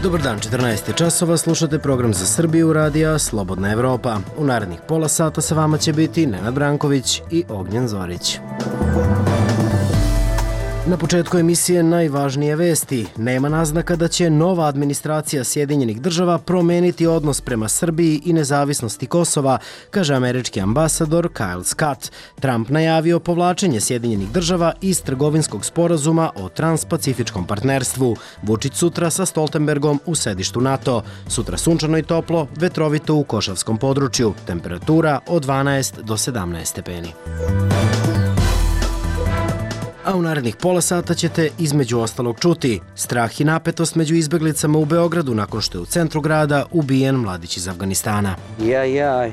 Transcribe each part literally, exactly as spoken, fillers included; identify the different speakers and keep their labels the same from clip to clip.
Speaker 1: Dobar dan, četrnaest je časova, slušate program za Srbiju radija Slobodna Evropa. U narednih pola sata sa vama će biti Nenad Branković i Ognjen Zorić. Na početku emisije najvažnije vesti. Nema naznaka da će nova administracija Sjedinjenih država promeniti odnos prema Srbiji i nezavisnosti Kosova, kaže američki ambasador Kyle Scott. Trump najavio povlačenje Sjedinjenih država iz trgovinskog sporazuma o transpacifičkom partnerstvu. Vučić sutra sa Stoltenbergom u sedištu NATO. Sutra sunčano i toplo, vetrovito u Košavskom području. Temperatura od dvanaest do sedamnaest stepeni. A u narednih pola sata ćete između ostalog čuti strah i napetost među izbeglicama u Beogradu nakon što je u centru grada ubijen mladić iz Afganistana.
Speaker 2: Yeah, yeah,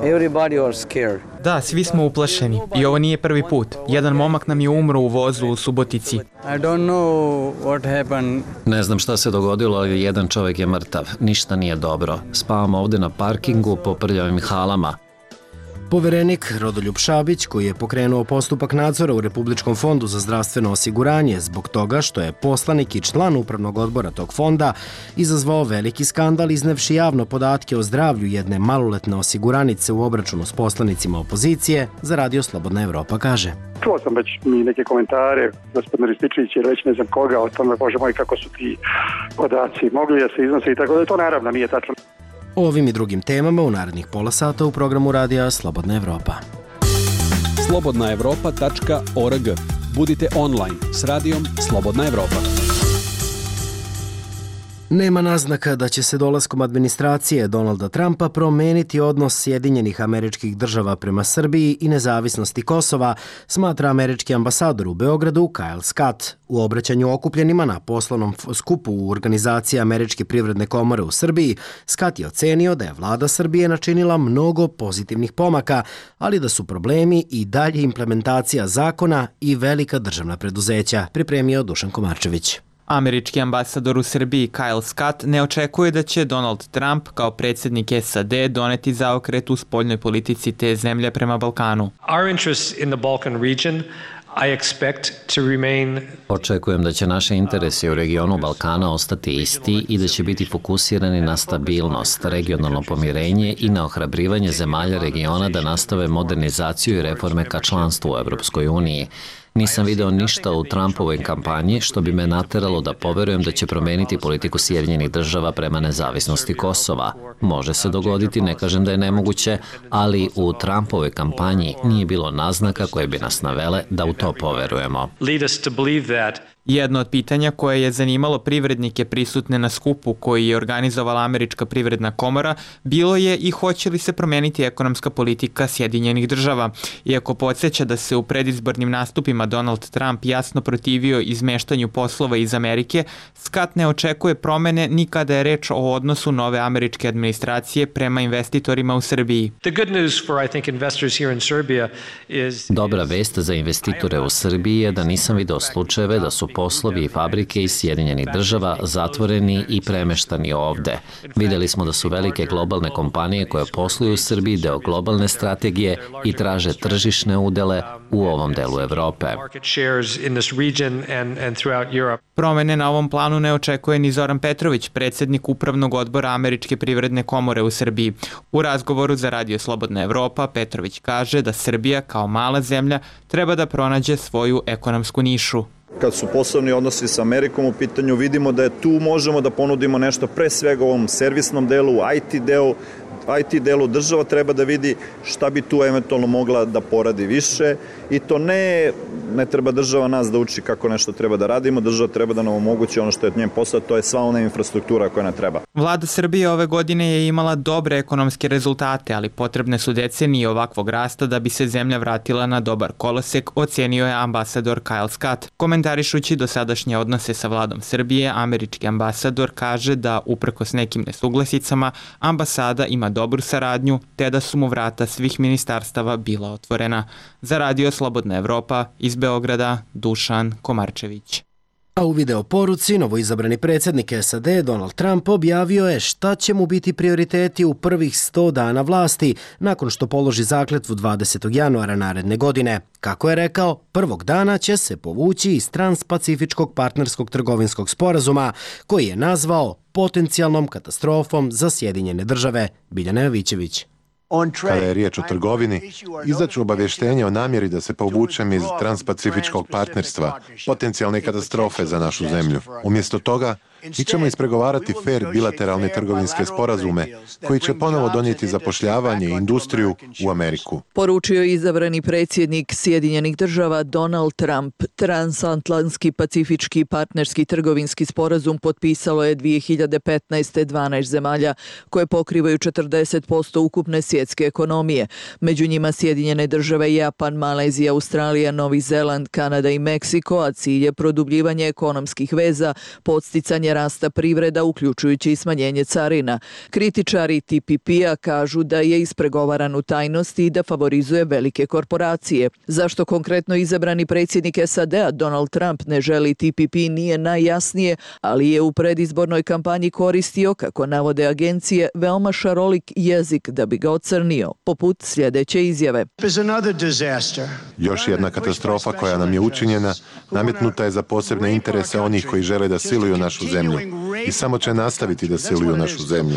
Speaker 2: everybody are scared.
Speaker 3: Da, svi smo uplašeni i ovo nije prvi put. Jedan momak nam je umro u vozu u Subotici.
Speaker 2: I don't know what happened.
Speaker 4: Ne znam šta se dogodilo, ali jedan čovjek je mrtav. Ništa nije dobro. Spavam ovdje na parkingu po prljavim halama.
Speaker 1: Poverenik Rodoljub Šabić, koji je pokrenuo postupak nadzora u Republičkom fondu za zdravstveno osiguranje zbog toga što je poslanik i član upravnog odbora tog fonda izazvao veliki skandal iznevši javno podatke o zdravlju jedne maloletne osiguranice u obračunu s poslanicima opozicije, za Radio Slobodna Evropa kaže.
Speaker 5: Čuo sam već mi neke komentare, gospodin Rističević ili već ne znam koga, o tome, bože moj, kako su ti podaci mogli da se iznose i tako da to naravno nije tačno.
Speaker 1: O ovim i drugim temama u narednih pola sata u programu radija Slobodna Evropa.
Speaker 6: slobodna evropa tačka org. Budite online s radijom Slobodna Evropa.
Speaker 1: Nema naznaka da će se dolaskom administracije Donalda Trumpa promeniti odnos Sjedinjenih američkih država prema Srbiji i nezavisnosti Kosova, smatra američki ambasador u Beogradu Kyle Scott. U obraćanju okupljenima na poslovnom skupu u organizaciji Američke privredne komore u Srbiji, Scott je ocenio da je vlada Srbije načinila mnogo pozitivnih pomaka, ali da su problemi i dalje implementacija zakona i velika državna preduzeća, pripremio Dušan Komarčević.
Speaker 3: Američki ambasador u Srbiji Kyle Scott ne očekuje da će Donald Trump kao predsjednik S A D doneti zaokret u spoljnoj politici te zemlje prema Balkanu.
Speaker 7: Our interests in the Balkan region I expect to remain...
Speaker 4: Očekujem da će naše interesi u regionu Balkana ostati isti i da će biti fokusirani na stabilnost, regionalno pomirenje i na ohrabrivanje zemalja regiona da nastave modernizaciju i reforme ka članstvu u Evropskoj uniji. Nisam video ništa u Trumpovoj kampanji što bi me nateralo da poverujem da će promeniti politiku Sjedinjenih država prema nezavisnosti Kosova. Može se dogoditi, ne kažem da je nemoguće, ali u Trumpovoj kampanji nije bilo naznaka koje bi nas navele da u to poverujemo.
Speaker 3: Jedno od pitanja koje je zanimalo privrednike prisutne na skupu koji je organizovala Američka privredna komora bilo je i hoće li se promeniti ekonomska politika Sjedinjenih država. Iako podsjeća da se u predizbornim nastupima Donald Trump jasno protivio izmeštanju poslova iz Amerike, Scott ne očekuje promene ni kada je reč o odnosu nove američke administracije prema investitorima u Srbiji.
Speaker 4: Dobra vest za investitore u Srbiji je da nisam video slučajeve da su poslovi i fabrike iz Sjedinjenih država zatvoreni i premeštani ovde. Videli smo da su velike globalne kompanije koje posluju u Srbiji deo globalne strategije i traže tržišne udele u ovom delu Evrope.
Speaker 3: Promene na ovom planu ne očekuje ni Zoran Petrović, predsjednik upravnog odbora Američke privredne komore u Srbiji. U razgovoru za Radio Slobodna Evropa Petrović kaže da Srbija kao mala zemlja treba da pronađe svoju ekonomsku nišu.
Speaker 8: Kad su poslovni odnosi sa Amerikom u pitanju, vidimo da je tu možemo da ponudimo nešto pre svega u ovom servisnom delu, I T delu, I T delu država treba da vidi šta bi tu eventualno mogla da poradi više i to ne, ne treba država nas da uči kako nešto treba da radimo, država treba da nam omogući ono što je njen posao, to je sva ona infrastruktura koja nam treba.
Speaker 3: Vlada Srbije ove godine je imala dobre ekonomske rezultate, ali potrebne su decenije ovakvog rasta da bi se zemlja vratila na dobar kolosek, ocenio je ambasador Kyle Scott. Komentarišući dosadašnje odnose sa vladom Srbije, američki ambasador kaže da uprkos nekim nesuglasicama ambasada ima dobru saradnju, te da su mu vrata svih ministarstava bila otvorena. Za Radio Slobodna Evropa iz Beograda, Dušan Komarčević.
Speaker 1: A u video poruci novoizabrani predsjednik S A D Donald Trump objavio je šta će mu biti prioriteti u prvih sto dana vlasti nakon što položi zakletvu dvadesetog januara naredne godine. Kako je rekao, prvog dana će se povući iz Transpacifičkog partnerskog trgovinskog sporazuma koji je nazvao potencijalnom katastrofom za Sjedinjene države. Biljana Jovićević.
Speaker 9: Kada je riječ o trgovini, izdaću obavještenje o namjeri da se povučem iz Transpacifičkog partnerstva, potencijalne katastrofe za našu zemlju. Umjesto toga, mi ćemo ispregovarati fer bilateralne trgovinske sporazume koji će ponovo donijeti zapošljavanje i industriju u Ameriku.
Speaker 10: Poručio je izabrani predsjednik Sjedinjenih država Donald Trump. Transatlantski pacifički partnerski trgovinski sporazum potpisalo je dvije hiljade petnaeste. dvanaest zemalja koje pokrivaju četrdeset posto ukupne svjetske ekonomije. Među njima Sjedinjene države, Japan, Malezija, Australija, Novi Zeland, Kanada i Meksiko, a cilj je produbljivanje ekonomskih veza, podsticanje rasta privreda, uključujući i smanjenje carina. Kritičari T P P-a kažu da je ispregovaran u tajnosti i da favorizuje velike korporacije. Zašto konkretno izabrani predsjednik S A D-a Donald Trump ne želi T P P nije najjasnije, ali je u predizbornoj kampanji koristio, kako navode agencije, veoma šarolik jezik da bi ga ocrnio, poput sljedeće izjave.
Speaker 9: Još jedna katastrofa koja nam je učinjena nametnuta je za posebne interese onih koji žele da siluju našu zemlju i samo će nastaviti da siluju našu zemlju.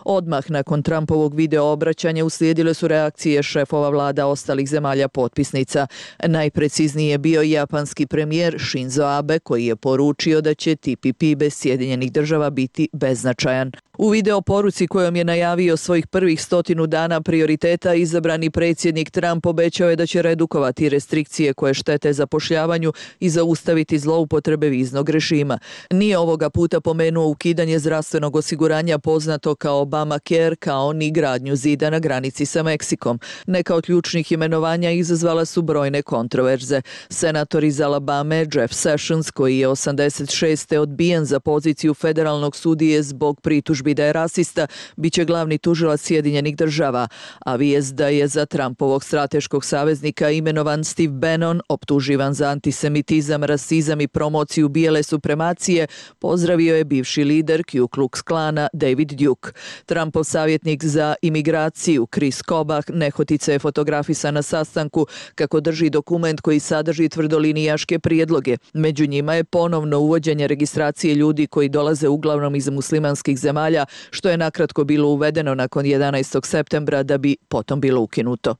Speaker 10: Odmah nakon Trumpovog video obraćanja uslijedile su reakcije šefova vlada ostalih zemalja potpisnica. Najprecizniji je bio japanski premijer Shinzo Abe koji je poručio da će T P P bez Sjedinjenih država biti beznačajan. U video poruci kojom je najavio svojih prvih stotinu dana prioriteta, izabrani predsjednik Trump obećao je da će redukovati restrikcije koje štete zapošljavanju i zaustaviti zloupotrebe viznog režima. Nije ovoga puta pomenuo ukidanje zdravstvenog osiguranja poznato kao Obamacare, kao ni gradnju zida na granici sa Meksikom. Neka od ključnih imenovanja izazvala su brojne kontroverze. Senator iz Alabame Jeff Sessions, koji je osamdeset šeste odbijen za poziciju federalnog sudije zbog pritužbi da je rasista, bit će glavni tužilac Sjedinjenih država, a vijest da je za Trumpovog strateškog saveznika imenovan Steve Bannon, optuživan za antisemitizam, rasizam i promociju bijele supremacije, pozdravio je bivši lider Ku Klux Klana David Duke. Trumpov savjetnik za imigraciju Chris Kobach nehotice je fotografisan na sastanku kako drži dokument koji sadrži tvrdolinijaške prijedloge. Među njima je ponovno uvođenje registracije ljudi koji dolaze uglavnom iz muslimanskih zemalja, što je nakratko bilo uvedeno nakon jedanaestog septembra da bi potom bilo ukinuto.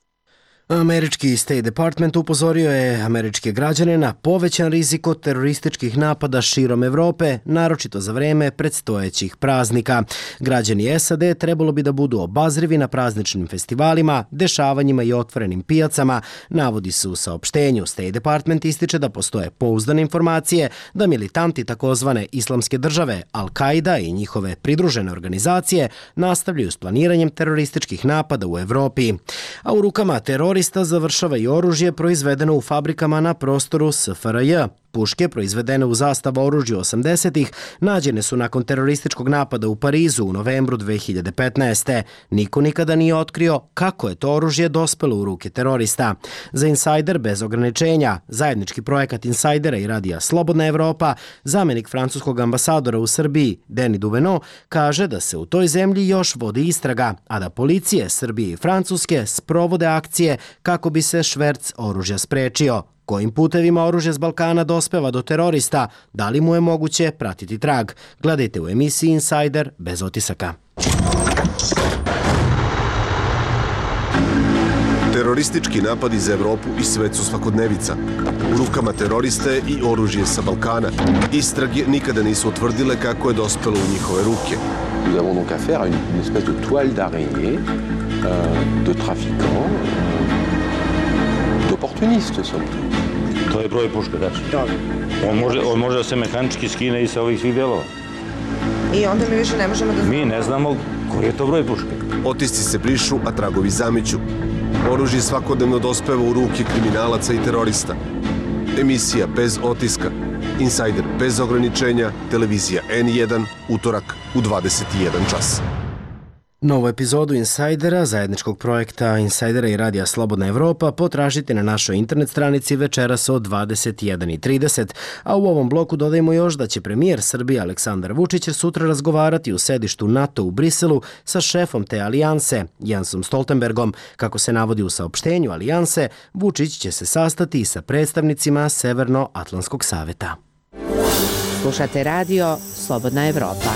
Speaker 1: Američki State Department upozorio je američke građane na povećan rizik od terorističkih napada širom Evrope, naročito za vreme predstojećih praznika. Građani S A D trebalo bi da budu obazrivi na prazničnim festivalima, dešavanjima i otvorenim pijacama, navodi se u saopštenju. State Department ističe da postoje pouzdane informacije da militanti takozvane islamske države, Al-Qaida i njihove pridružene organizacije nastavljaju s planiranjem terorističkih napada u Evropi. A u rukama terorista završava i oružje proizvedeno u fabrikama na prostoru S F R J. Puške proizvedene u zastava oružju osamdesetih nađene su nakon terorističkog napada u Parizu u novembru dve hiljade petnaeste. Niko nikada nije otkrio kako je to oružje dospelo u ruke terorista. Za Insider bez ograničenja, zajednički projekat Insidera i radija Slobodna Evropa, zamenik francuskog ambasadora u Srbiji Denis Duveno kaže da se u toj zemlji još vodi istraga, a da policije Srbije i Francuske sprovode akcije kako bi se šverc oružja sprečio. Kojim putevima oružje s Balkana dospeva do terorista, da li mu je moguće pratiti trag? Gledajte u emisiji Insider bez otisaka.
Speaker 11: Teroristički napadi za Evropu i svet su svakodnevica. U rukama teroriste i oružje sa Balkana. Istrage nikada nisu utvrdile kako je dospelo u njihove ruke.
Speaker 12: Nous avons donc affaire à une, une espèce de toile d'araignée euh, de trafiquants, d'opportunistes surtout.
Speaker 13: To je broj puške, tačno. On može, on može da se mehanički skine i sa ovih svih delova.
Speaker 14: I onda mi više ne možemo da...
Speaker 13: Mi ne znamo koji je to broj puške.
Speaker 11: Otisci se brišu, a tragovi zameću. Oružje svakodnevno dospeva u ruke kriminalaca i terorista. Emisija bez otiska. Insider bez ograničenja. Televizija N jedan. Utorak u dvadeset jedan čas.
Speaker 1: Novu epizodu Insajdera, zajedničkog projekta Insajdera i Radija Slobodna Evropa, potražite na našoj internet stranici večeras od dvadeset jedan i trideset, a u ovom bloku dodajemo još da će premijer Srbije Aleksandar Vučić sutra razgovarati u sedištu NATO u Briselu sa šefom te alijanse, Jensom Stoltenbergom. Kako se navodi u saopštenju alijanse, Vučić će se sastati i sa predstavnicima Severnoatlantskog saveta.
Speaker 15: Slušate radio Slobodna Evropa.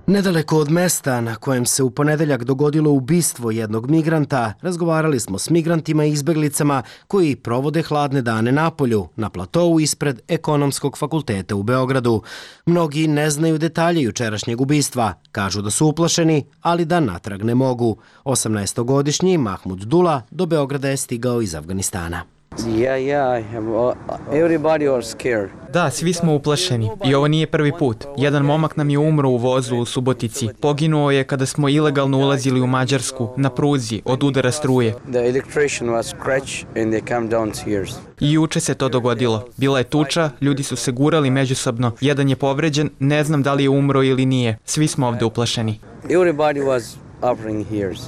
Speaker 1: Nedaleko od mesta na kojem se u ponedeljak dogodilo ubistvo jednog migranta, razgovarali smo s migrantima i izbeglicama koji provode hladne dane na polju, na platovu ispred Ekonomskog fakulteta u Beogradu. Mnogi ne znaju detalje jučerašnjeg ubistva, kažu da su uplašeni, ali da natrag ne mogu. osamnaestogodišnji Mahmud Dula do Beograda je stigao iz Afganistana.
Speaker 2: Yeah, yeah, I have, uh, everybody was scared.
Speaker 3: Da, svi smo uplašeni i ovo nije prvi put. Jedan momak nam je umro u vozu u Subotici. Poginuo je kada smo ilegalno ulazili u Mađarsku, na pruzi, od udara struje.
Speaker 2: The electrician was scratched and they come downstairs.
Speaker 3: I juče se to dogodilo. Bila je tuča, ljudi su se gurali međusobno. Jedan je povređen, ne znam da li je umro ili nije. Svi smo ovde uplašeni.
Speaker 2: Everybody was offering ears.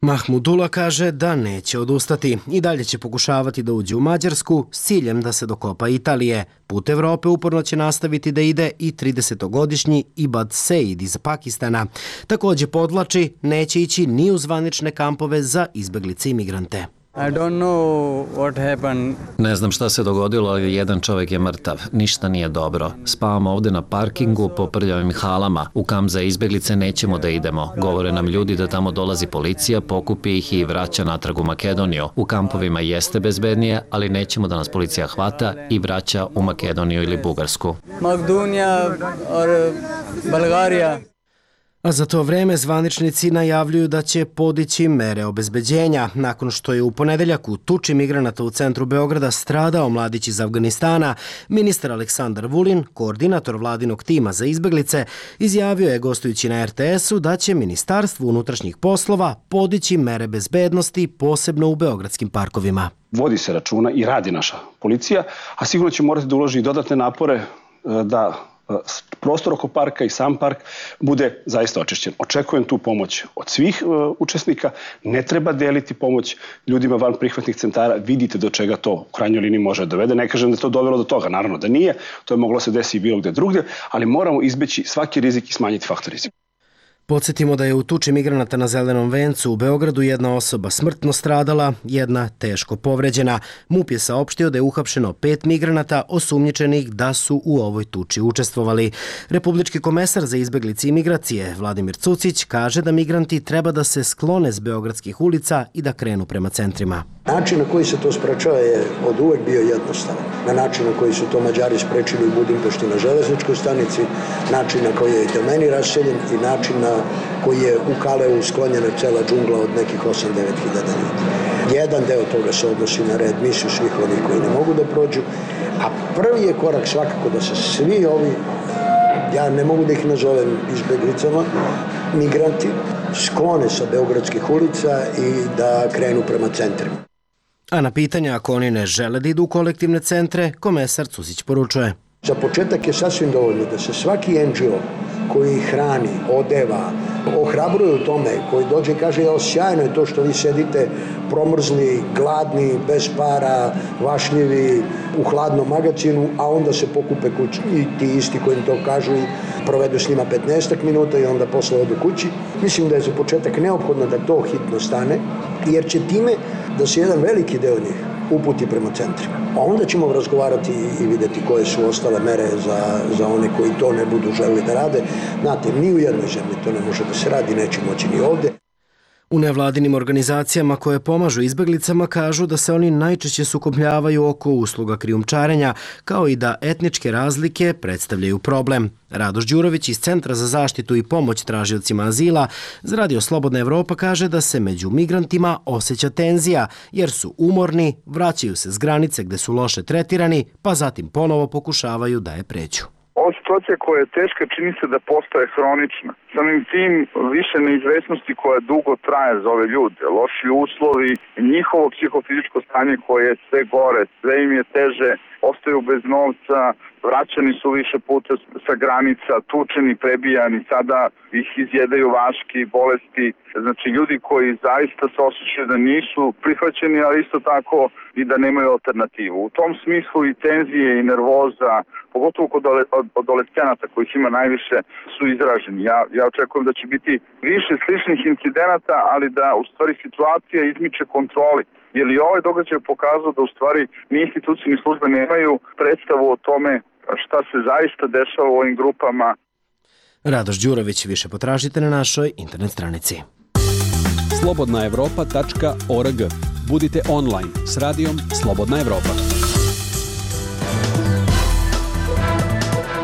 Speaker 1: Mahmudula kaže da neće odustati i dalje će pokušavati da uđe u Mađarsku s ciljem da se dokopa Italije. Put Evrope uporno će nastaviti da ide i tridesetogodišnji Ibad Seid iz Pakistana. Također podvlači, neće ići ni u zvanične kampove za izbeglice i migrante.
Speaker 16: I don't know what happened.
Speaker 4: Ne znam šta se dogodilo, ali jedan čovjek je mrtav. Ništa nije dobro. Spavamo ovde na parkingu po prljavim halama. U kamp za izbeglice nećemo da idemo. Govore nam ljudi da tamo dolazi policija, pokupi ih i vraća natrag u Makedoniju. U kampovima jeste bezbednije, ali nećemo da nas policija hvata i vraća u Makedoniju ili Bugarsku.
Speaker 16: Makedonija or Bulgarija.
Speaker 1: A za to vreme zvaničnici najavljuju da će podići mere obezbeđenja. Nakon što je u ponedeljak u tuči migranata u centru Beograda stradao mladić iz Afganistana, ministar Aleksandar Vulin, koordinator vladinog tima za izbeglice, izjavio je gostujući na er te esu da će Ministarstvo unutrašnjih poslova podići mere bezbednosti, posebno u beogradskim parkovima.
Speaker 17: Vodi se računa i radi naša policija, a sigurno će morati da uloži i dodatne napore da prostor oko parka i sam park bude zaista očišćen. Očekujem tu pomoć od svih uh, učesnika. Ne treba deliti pomoć ljudima van prihvatnih centara. Vidite do čega to u krajnjoj liniji može dovede. Ne kažem da je to dovelo do toga. Naravno da nije. To je moglo se desiti i bilo gde drugdje, ali moramo izbeći svaki rizik i smanjiti faktor rizika.
Speaker 1: Podsjetimo da je u tuči migranata na Zelenom vencu u Beogradu jedna osoba smrtno stradala, jedna teško povređena. MUP je saopštio da je uhapšeno pet migranata osumnjičenih da su u ovoj tuči učestvovali. Republički komesar za izbeglice i migracije Vladimir Cucić kaže da migranti treba da se sklone s beogradskih ulica i da krenu prema centrima.
Speaker 18: Način na koji se to sprečava je od uvek bio jednostavan. Na način na koji su to Mađari sprečili u Budimpešti na železničkoj stanici, način na koji je Telmeni raseljen i način na koji je u Kaleu sklonjena cela džungla od nekih osam do devet hiljada ljudi. Jedan deo toga se odnosi na readmisiju svih onih koji ne mogu da prođu, a prvi je korak svakako da se svi ovi, ja ne mogu da ih nazovem izbeglicama, migranti, sklone sa beogradskih ulica i da krenu prema centrima.
Speaker 1: A na pitanje ako oni ne žele da idu u kolektivne centre, komesar Cusić poručuje.
Speaker 18: Za početak je sasvim dovoljno da se svaki en dži o koji hrani, odeva, ohrabruje u tome, koji dođe i kaže jel sjajno je to što vi sedite promrzli, gladni, bez para, vašljivi u hladnom magacinu, a onda se pokupe kući i ti isti koji im to kažu i provedu s njima petnaestak minuta i onda posle odu kući. Mislim da je za početak neophodno da to hitno stane, jer će time da se jedan veliki deo njih uputi prema centrima. A onda ćemo razgovarati i vidjeti koje su ostale mere za, za one koji to ne budu želeli da rade. Znate, ni u jednoj zemlji to ne može da se radi, neće moći ni ovdje.
Speaker 1: U nevladinim organizacijama koje pomažu izbeglicama kažu da se oni najčešće sukobljavaju oko usluga krijumčarenja, kao i da etničke razlike predstavljaju problem. Radoš Đurović iz Centra za zaštitu i pomoć tražiocima azila za Radio Slobodna Evropa kaže da se među migrantima osjeća tenzija, jer su umorni, vraćaju se s granice gde su loše tretirani, pa zatim ponovo pokušavaju da je pređu.
Speaker 5: Ovo su
Speaker 19: situacija koja je teška, čini se da postaje hronična. Samim tim više neizvesnosti koja dugo traje za ove ljude, loši uslovi, njihovo psihofizičko stanje koje je sve gore, sve im je teže, ostaju bez novca, vraćani su više puta sa granica, tučeni, prebijani, sada ih izjedaju vaški, bolesti. Znači ljudi koji zaista se osjećaju da nisu prihvaćeni, ali isto tako i da nemaju alternativu. U tom smislu i tenzije i nervoza, pogotovo kod adolescenata kojih ima najviše, su izraženi. Ja, ja očekujem da će biti više sličnih incidenata, ali da u stvari situacija izmiče kontroli. Jer i ovaj događaj pokazao da u stvari ni institucije ni službe nemaju predstavu o tome šta se zaista dešava u ovim grupama.
Speaker 1: Radoš Đurović, više potražite na našoj internet stranici.
Speaker 6: slobodna evropa tačka org. Budite online s radijom Slobodna Evropa.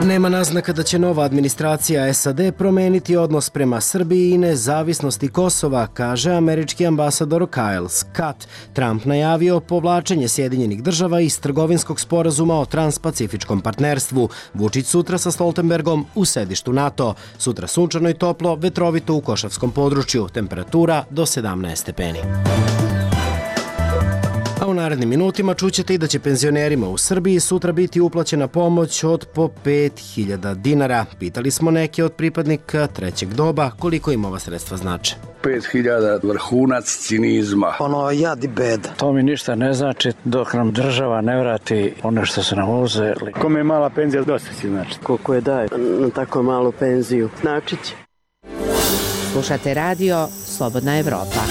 Speaker 1: Nema naznaka da će nova administracija S A D promeniti odnos prema Srbiji i nezavisnosti Kosova, kaže američki ambasador Kyle Scott. Trump najavio povlačenje Sjedinjenih država iz trgovinskog sporazuma o transpacifičkom partnerstvu. Vučić sutra sa Stoltenbergom u sedištu NATO. Sutra sunčano i toplo, vetrovito u Košavskom području. Temperatura do sedamnaest stepeni. A u narednim minutima čućete i da će penzionerima u Srbiji sutra biti uplaćena pomoć od po pet hiljada dinara. Pitali smo neke od pripadnika trećeg doba koliko im ova sredstva znače.
Speaker 20: pet hiljada vrhunac cinizma.
Speaker 21: Ono jad i beda.
Speaker 22: To mi ništa ne znači dok nam država ne vrati ono što su nam uzeli.
Speaker 23: Kome je mala penzija, dosta si znači.
Speaker 21: Koliko je daje na tako malu penziju, znači će.
Speaker 15: Slušate radio Slobodna Evropa.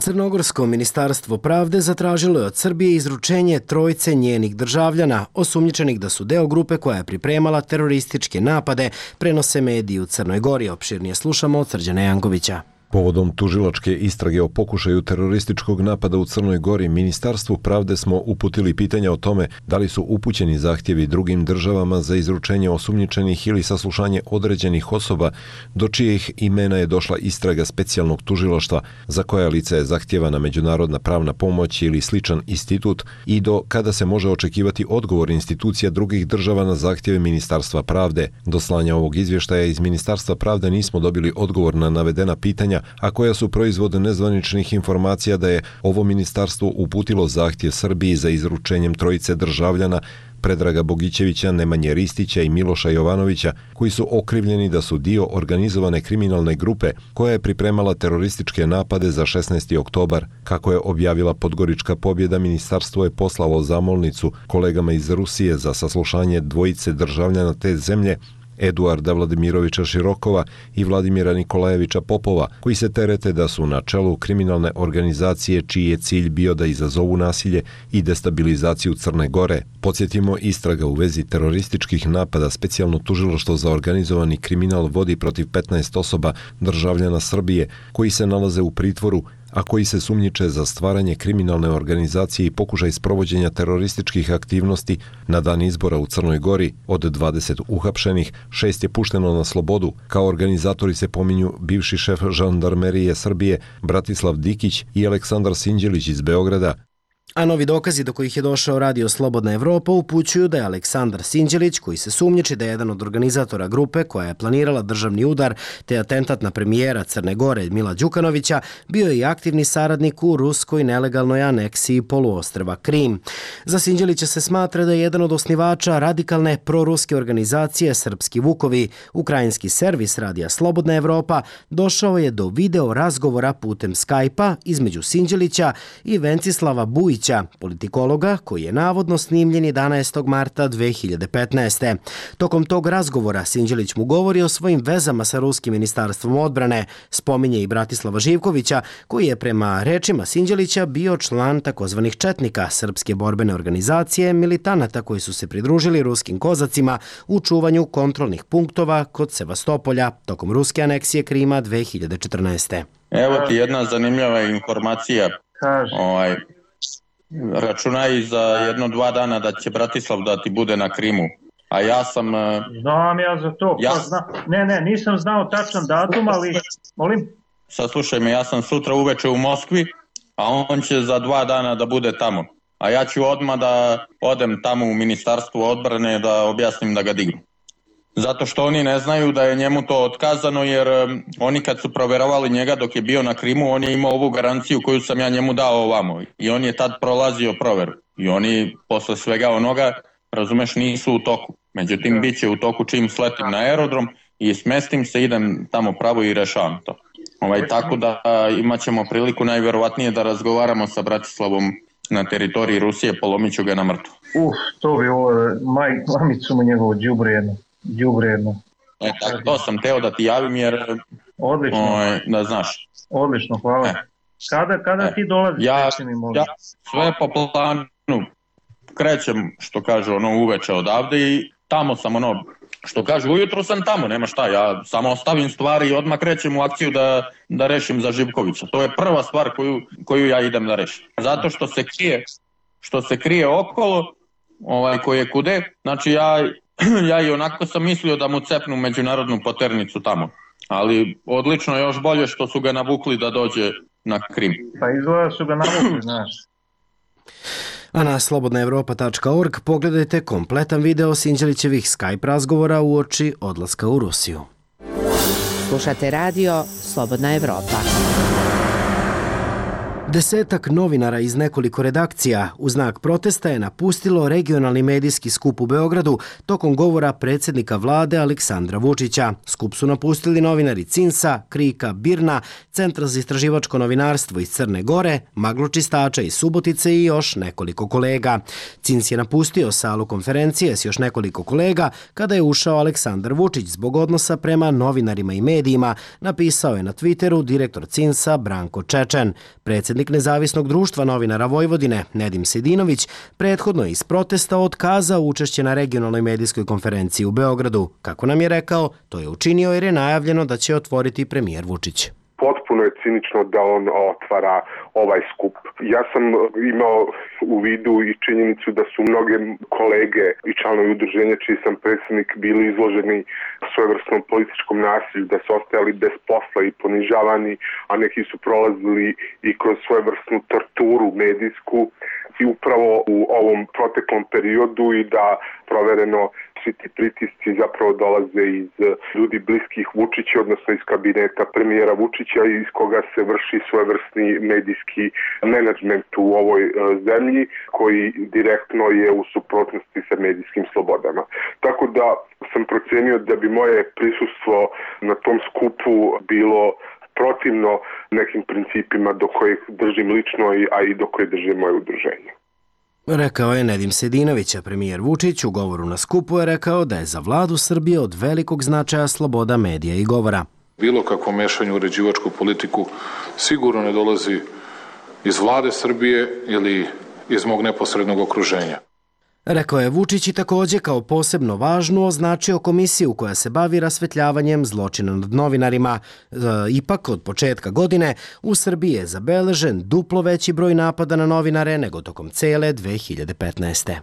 Speaker 1: Crnogorsko ministarstvo pravde zatražilo je od Srbije izručenje trojice njenih državljana, osumnjičenih da su deo grupe koja je pripremala terorističke napade, prenose mediji u Crnoj Gori. Opširnije slušamo od Srđana Jankovića.
Speaker 24: Povodom tužilačke istrage o pokušaju terorističkog napada u Crnoj Gori, Ministarstvu pravde smo uputili pitanja o tome da li su upućeni zahtjevi drugim državama za izručenje osumnjičenih ili saslušanje određenih osoba do čijih imena je došla istraga specijalnog tužilaštva, za koja lica je zahtjevana međunarodna pravna pomoć ili sličan institut i do kada se može očekivati odgovor institucija drugih država na zahtjeve Ministarstva pravde. Do slanja ovog izvještaja iz Ministarstva pravde nismo dobili odgovor na navedena pitanja, a koja su proizvod nezvaničnih informacija da je ovo ministarstvo uputilo zahtjev Srbiji za izručenjem trojice državljana Predraga Bogićevića, Nemanje Ristića i Miloša Jovanovića, koji su okrivljeni da su dio organizovane kriminalne grupe koja je pripremala terorističke napade za šesnaesti oktobar. Kako je objavila Podgorička pobjeda, ministarstvo je poslalo zamolnicu kolegama iz Rusije za saslušanje dvojice državljana te zemlje, Eduarda Vladimirovića Širokova i Vladimira Nikolajevića Popova, koji se terete da su na čelu kriminalne organizacije čiji je cilj bio da izazovu nasilje i destabilizaciju Crne Gore. Podsjetimo, istraga u vezi terorističkih napada specijalno tužilaštvo za organizovani kriminal vodi protiv petnaest osoba državljana Srbije koji se nalaze u pritvoru, a koji se sumnjiče za stvaranje kriminalne organizacije i pokušaj sprovođenja terorističkih aktivnosti. Na dan izbora u Crnoj Gori od dvadeset uhapšenih, šest je pušteno na slobodu. Kao organizatori se pominju bivši šef žandarmerije Srbije Bratislav Dikić i Aleksandar Sinđelić iz Beograda.
Speaker 1: A novi dokazi do kojih je došao radio Slobodna Evropa upućuju da je Aleksandar Sinđelić, koji se sumnjiči da je jedan od organizatora grupe koja je planirala državni udar te atentat na premijera Crne Gore Mila Đukanovića, bio i aktivni saradnik u ruskoj nelegalnoj aneksiji poluostrva Krim. Za Sinđelića se smatra da je jedan od osnivača radikalne proruske organizacije Srpski Vukovi. Ukrajinski servis radija Slobodna Evropa došao je do video razgovora putem Skype-a između Sinđelića i Vencislava Bujića, politikologa koji je navodno snimljen jedanaestog marta dve hiljade petnaeste. Tokom tog razgovora Sinđelić mu govori o svojim vezama sa ruskim ministarstvom odbrane. Spominje i Bratislava Živkovića, koji je prema rečima Sinđelića bio član takozvanih četnika, srpske borbene organizacije militanata koji su se pridružili ruskim kozacima u čuvanju kontrolnih punktova kod Sevastopolja tokom ruske aneksije Krima dve hiljade četrnaeste.
Speaker 25: Evo ti jedna zanimljiva informacija. Ovaj, računaj za jedno dva dana da će Bratislav da ti bude na Krimu. A ja sam...
Speaker 26: Znam ja za to.
Speaker 25: Ja...
Speaker 26: Zna... Ne, ne, nisam znao tačan datum, ali... Molim?
Speaker 25: Saslušaj me, ja sam sutra uveče u Moskvi, a on će za dva dana da bude tamo. a ja ću odmah da odem tamo u ministarstvo odbrane da objasnim da ga dignu. Zato što oni ne znaju da je njemu to otkazano, jer um, oni kad su proverovali njega dok je bio na Krimu, on je imao ovu garanciju koju sam ja njemu dao ovamo i on je tad prolazio proveru. I oni posle svega onoga, razumeš, nisu u toku. Međutim, bit će u toku čim sletim na aerodrom i smestim se, idem tamo pravo i rešavam to. Ovaj, tako da imat ćemo priliku najverovatnije da razgovaramo sa Bratislavom na teritoriji Rusije, polomit ću ga na mrtvo.
Speaker 26: Uf, to bi ovo, maj, mamicu mu njegovu, đubre jedno, đubre jedno.
Speaker 25: E, tako, to sam teo da ti javim jer,
Speaker 26: odlično.
Speaker 25: Ovaj, da znaš.
Speaker 26: Odlično, hvala. E. Kada, kada e. ti dolaziš?
Speaker 25: Ja, ja sve po planu krećem, što kaže, ono, uveče odavde i tamo sam, ono, što kaže, ujutro sam tamo, nema šta, ja samo ostavim stvari i odmah krećem u akciju da, da rešim za Živkovića. To je prva stvar koju, koju ja idem da rešim. Zato što se krije, što se krije okolo, ovaj, koji je kude, znači ja, ja i onako sam mislio da mu cepnu međunarodnu poternicu tamo. Ali odlično, još bolje što su ga navukli da dođe na Krim.
Speaker 26: Pa izgleda su ga navukli, znaš.
Speaker 1: A na slobodna evropa tačka org pogledajte kompletan video Sinđelićevih Skype razgovora uoči odlaska u Rusiju.
Speaker 15: Slušate radio Slobodna Evropa.
Speaker 1: Desetak novinara iz nekoliko redakcija u znak protesta je napustilo regionalni medijski skup u Beogradu tokom govora predsjednika vlade Aleksandra Vučića. Skup su napustili novinari Cinsa, Krika, Birna, Centra za istraživačko novinarstvo iz Crne Gore, Magločistača iz Subotice i još nekoliko kolega. Cins je napustio salu konferencije s još nekoliko kolega kada je ušao Aleksandar Vučić zbog odnosa prema novinarima i medijima, napisao je na Twitteru direktor Cinsa Branko Čečen. Predsjednik Nezavisnog društva novinara Vojvodine, Nedim Sedinović, prethodno iz protesta otkazao učešće na regionalnoj medijskoj konferenciji u Beogradu. Kako nam je rekao, to je učinio jer je najavljeno da će otvoriti premijer Vučić.
Speaker 7: Potpuno je cinično da on otvara ovaj skup. Ja sam imao u vidu i činjenicu da su mnoge kolege i članovi udruženja čiji sam predsjednik bili izloženi svojevrsnom političkom nasilju, da su ostajali bez posla i ponižavani, a neki su prolazili i kroz svojevrsnu torturu medijsku i upravo u ovom proteklom periodu i da provereno svi ti pritisci zapravo dolaze iz ljudi bliskih Vučića, odnosno iz kabineta premijera Vučića iz koga se vrši svojevrsni medijski menadžment u ovoj zemlji koji direktno je u suprotnosti sa medijskim slobodama. Tako da sam procenio da bi moje prisustvo na tom skupu bilo protivno nekim principima do kojih držim lično, a i do kojih drže moje udruženje.
Speaker 1: Rekao je Nedim Sedinović, a premijer Vučić u govoru na skupu je rekao da je za vladu Srbije od velikog značaja sloboda medija i govora.
Speaker 8: Bilo kakvo mešanje u uređivačku politiku sigurno ne dolazi iz vlade Srbije ili iz mog neposrednog okruženja.
Speaker 1: Rekao je Vučić i također kao posebno važnu označio komisiju koja se bavi rasvetljavanjem zločina nad novinarima. E, ipak od početka godine u Srbiji je zabeležen duplo veći broj napada na novinare nego tokom cele dve hiljade petnaeste.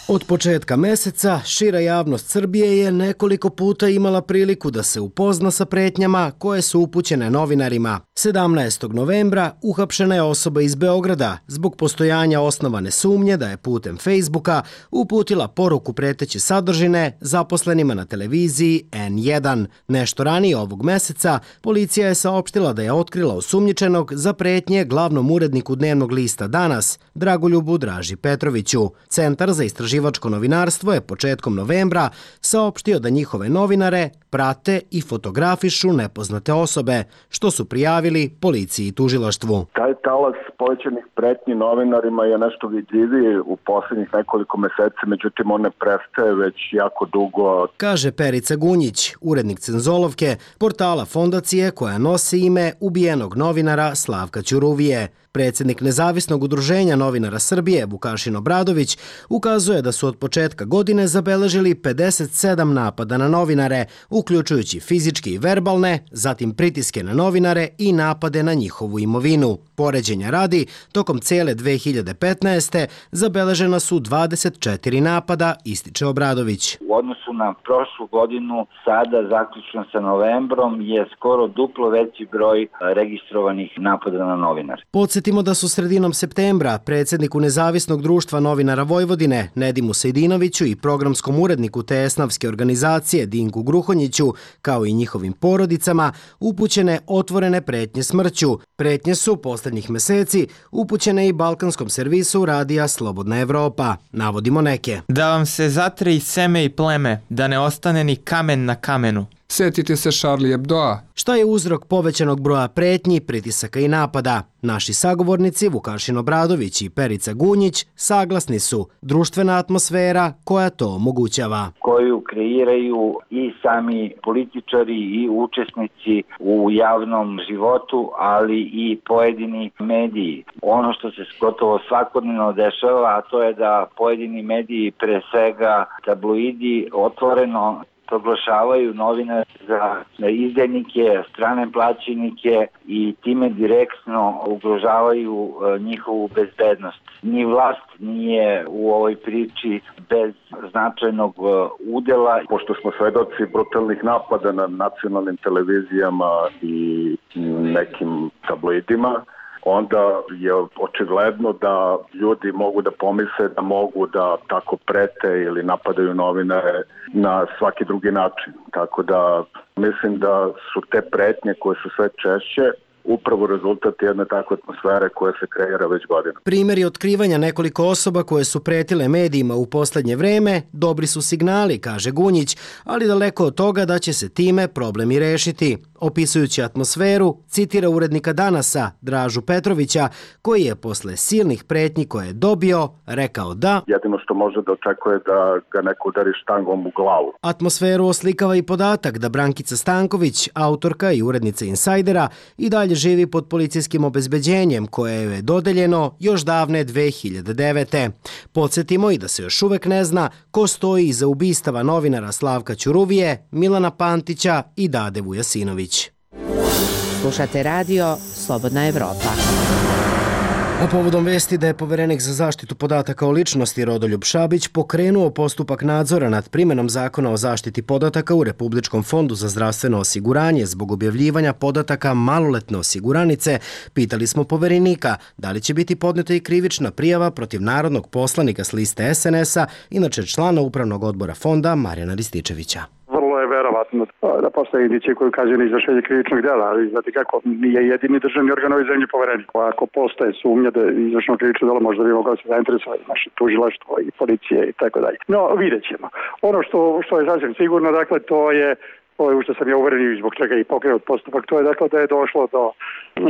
Speaker 1: Od početka meseca šira javnost Srbije je nekoliko puta imala priliku da se upozna sa pretnjama koje su upućene novinarima. sedamnaestog novembra uhapšena je osoba iz Beograda zbog postojanja osnovane sumnje da je putem Facebooka uputila poruku preteće sadržine zaposlenima na televiziji en jedan. Nešto ranije ovog meseca policija je saopštila da je otkrila osumnjičenog za pretnje glavnom uredniku dnevnog lista Danas, Dragoljubu Draži Petroviću. Centar za istraživačko novinarstvo je početkom novembra saopštio da njihove novinare prate i fotografišu nepoznate osobe, što su prijavili policiji i tužilaštvu.
Speaker 9: Taj talas povećanih pretnji novinarima je nešto vidljiviji u posljednjih nekoliko meseci, međutim on ne prestaje već jako dugo.
Speaker 1: Kaže Perica Gunjić, urednik Cenzolovke, portala fondacije koja nosi ime ubijenog novinara Slavka Ćuruvije. Predsjednik Nezavisnog udruženja novinara Srbije, Vukašin Obradović, ukazuje da su od početka godine zabeležili pedeset sedam napada na novinare, uključujući fizičke i verbalne, zatim pritiske na novinare i napade na njihovu imovinu. Poređenja radi, Gradi, tokom cele dve hiljade petnaeste. zabeležena su dvadeset četiri napada, ističe Obradović.
Speaker 3: U odnosu na prošlu godinu, sada zaključno sa novembrom, je skoro duplo veći broj registrovanih napada na novinare.
Speaker 1: Podsjetimo da su sredinom septembra predsjedniku Nezavisnog društva novinara Vojvodine Nedimu Sejdinoviću i programskom uredniku te esnavske organizacije Dinku Gruhonjiću, kao i njihovim porodicama, upućene otvorene pretnje smrću. Pretnje su posljednjih meseci upućene i balkanskom servisu radija Slobodna Evropa. Navodimo neke.
Speaker 10: Da vam se zatre i seme i pleme, da ne ostane ni kamen na kamenu.
Speaker 11: Sjetite se Charlie Hebdoa.
Speaker 1: Šta je uzrok povećanog broja pretnji, pritisaka i napada? Naši sagovornici Vukašin Obradović i Perica Gunjić saglasni su društvena atmosfera koja to omogućava.
Speaker 3: Koju kreiraju i sami političari i učesnici u javnom životu, ali i pojedini mediji. Ono što se gotovo svakodnevno dešava, a to je da pojedini mediji, pre svega tabloidi, otvoreno proglašavaju novinare za izdajnike, strane plaćenike i time direktno ugrožavaju njihovu bezbednost. Ni vlast nije u ovoj priči bez značajnog udela.
Speaker 9: Pošto smo svedoci brutalnih napada na nacionalnim televizijama i nekim tabloidima, onda je očigledno da ljudi mogu da pomisle da mogu da tako prete ili napadaju novinare na svaki drugi način. Tako da mislim da su te pretnje koje su sve češće upravo rezultat jedne takve atmosfere koja se kreira već godina.
Speaker 1: Primjeri otkrivanja nekoliko osoba koje su pretile medijima u posljednje vreme dobri su signali, kaže Gunjić, ali daleko od toga da će se time problemi rešiti. Opisujući atmosferu, citira urednika Danasa, Dražu Petrovića, koji je posle silnih pretnji koje je dobio, rekao da
Speaker 9: jedino što može da očekuje da ga neko udari štangom u glavu.
Speaker 1: Atmosferu oslikava i podatak da Brankica Stanković, autorka i urednica Insajdera, i dalje živi pod policijskim obezbeđenjem koje je dodeljeno još davne dve hiljade devete. Podsjetimo i da se još uvek ne zna ko stoji iza ubistava novinara Slavka Ćuruvije, Milana Pantića i Dade Vujasinović.
Speaker 15: Slušate radio Slobodna Evropa.
Speaker 1: A povodom vesti da je poverenik za zaštitu podataka o ličnosti Rodoljub Šabić pokrenuo postupak nadzora nad primjenom zakona o zaštiti podataka u Republičkom fondu za zdravstveno osiguranje zbog objavljivanja podataka maloletne osiguranice, pitali smo poverenika da li će biti podneta i krivična prijava protiv narodnog poslanika s liste es en es a, inače člana upravnog odbora fonda Marijana Rističevića.
Speaker 5: Vrlo je verovatno da postoje indicije koji ukazuju na izvršenje krivičnog dela, ali znate kako, nije jedini državni organ ove zemlje poverenik. Ako postoje sumnja da je izvršeno krivično delo, možda bi mogao se zainteresovati naše tužilaštvo i policije i tako dalje. No, vidjet ćemo. Ono što, što je sasvim sigurno, dakle, to je ovo je u što sam ja uveren i zbog čega i pokrenut postupak, to je dakle da je došlo do,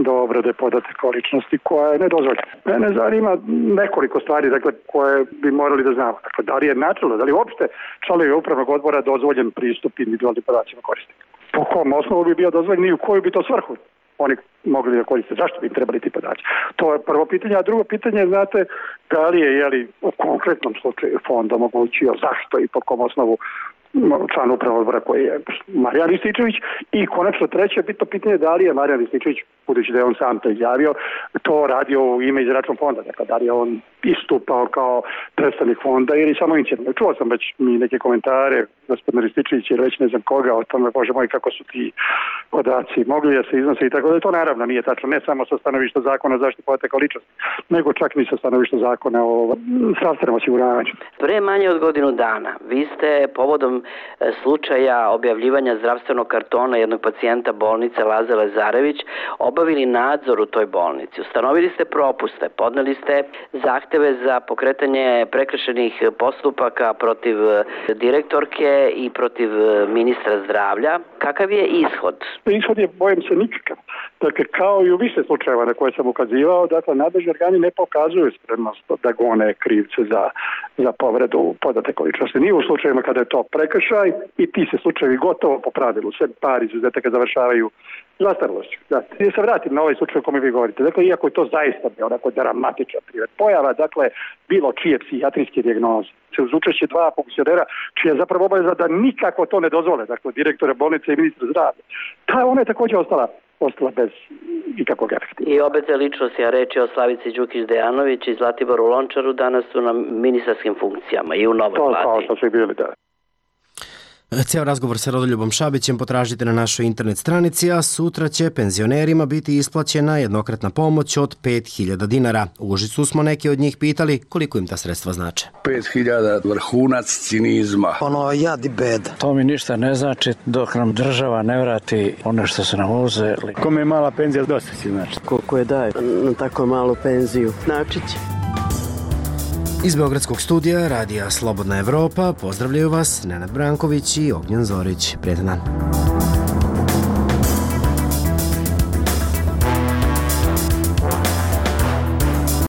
Speaker 5: do obrade podataka o ličnosti koja je nedozvoljena. Mene zanima nekoliko stvari dakle, koje bi morali da znamo. Dakle, da li je načelo, da li uopšte članovi upravnog odbora dozvoljen pristup individualnim podacima korisnika? Po kom osnovu bi bio dozvoljen i u koju bi to svrhu oni mogli da koriste? Zašto bi im trebali ti podaci? To je prvo pitanje, a drugo pitanje je, znate, da li je jeli, u konkretnom slučaju fond omogućio zašto i po kom osnovu član upravnog odbora koji je Marijan Rističević i konačno treće bitno pitanje da li je Marijan Rističević, budući da je on sam to izjavio, to radio u ime iz račun fonda, dakle da li je on istupao kao predstavnik fonda ili samo inicijativno. Čuo sam već mi neke komentare, gospodin Rističević ili već ne znam koga o tome, bože moj, kako su ti podaci mogli da se iznose i tako da to naravno nije tačno, ne samo sa stanovišta zakona o zaštiti podataka o ličnosti, nego čak ni sa stanovišta zakona o zdravstvenom osiguranju.
Speaker 12: Pre manje od godinu dana vi ste povodom slučaja objavljivanja zdravstvenog kartona jednog pacijenta bolnice Laze Lazarević obavili nadzor u toj bolnici. Ustanovili ste propuste, podneli ste zahteve za pokretanje prekršajnih postupaka protiv direktorke i protiv ministra zdravlja. Kakav je ishod?
Speaker 5: Ishod je, bojim se, nikakav. Dakle, kao i u više slučajeva na koje sam ukazivao, dakle, nadležni organi ne pokazuju spremnost da gone krivce za, za povredu podataka o ličnosti. Nije u slučajevima kada je to prekršaj i ti se slučajevi gotovo po pravilu, sve par izuzetaka završavaju zastarelošću. Da se vratim na ovaj slučaj o kome vi govorite. Dakle, iako je to zaista bio onako dramatičan privet pojava, dakle, bilo čije psihijatrijske dijagnoze, se uz učešće dva funkcionera, čija je zapravo obaveza da nikako to ne dozvole, dakle, direktora bolnice i ministra zdravlja. Ta ona je također ostala ostala bez ikakvog efekta.
Speaker 12: I obe te ličnosti, a reč je o Slavici Đukić-Dejanović i Zlatiboru Lončaru, danas su na ministarskim funkcijama i u novoj vladi.
Speaker 5: To kao što su bili, da.
Speaker 1: Cijel razgovor sa Rodoljubom Šabićem potražite na našoj internet stranici, a sutra će penzionerima biti isplaćena jednokratna pomoć od pet hiljada dinara. U Užicu smo neki od njih pitali koliko im ta sredstva znače.
Speaker 20: pet hiljada vrhunac cinizma.
Speaker 21: Ono jad i beda.
Speaker 22: To mi ništa ne znači dok nam država ne vrati ono što su nam uzeli.
Speaker 23: Kome je mala penzija, dosta si znači.
Speaker 21: Koliko je daje na tako malu penziju, znači će.
Speaker 1: Iz Beogradskog studija Radija Slobodna Evropa pozdravljaju vas Nenad Branković i Ognjen Zorić. Prijetan dan.